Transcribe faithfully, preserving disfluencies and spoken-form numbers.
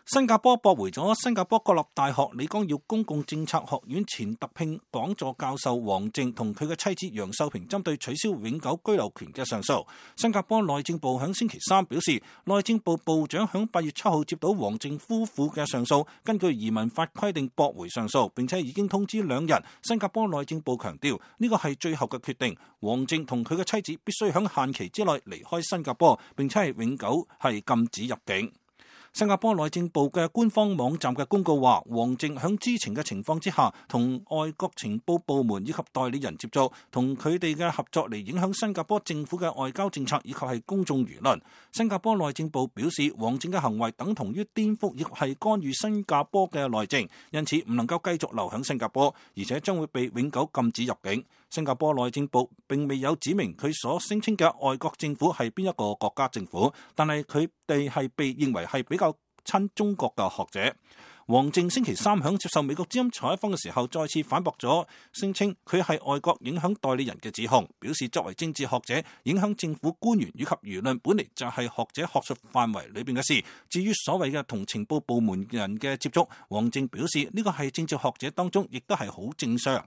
新加坡駁回咗新加坡國立大學李光耀公共政策學院前特聘講座教授王靖同佢嘅妻子楊秀萍針對取消永久居留權嘅上訴。新加坡內政部響星期三表示，內政部部長響八月七號接到王靖夫婦嘅上訴，根據移民法規定駁回上訴，並且已經通知兩人。新加坡內政部強調呢個係最後嘅決定，王靖同佢嘅妻子必須響限期之內離開新加坡，並且係永久係禁止入境。新加坡內政部嘅官方網站嘅公告話，王靖響知情嘅情況之下，同外國情報部門以及代理人接觸，同佢哋嘅合作嚟影響新加坡政府嘅外交政策以及係公眾輿論。新加坡內政部表示，王靖嘅行為等同於顛覆，亦係干預新加坡嘅內政，因此唔能夠繼續留響新加坡，而且將會被永久禁止入境。新加坡內政部並未有指明佢所聲稱嘅外國政府係邊一個國家政府，但係佢哋係被認為係比較親中國嘅學者。王靖星期三響接受美國之音採訪嘅時候，再次反駁咗聲稱佢係外國影響代理人嘅指控，表示作為政治學者，影響政府官員以及輿論本嚟就係學者學術範圍裏邊嘅事。至於所謂嘅同情報部門人嘅接觸，王靖表示呢個係政治學者當中亦都係好正常。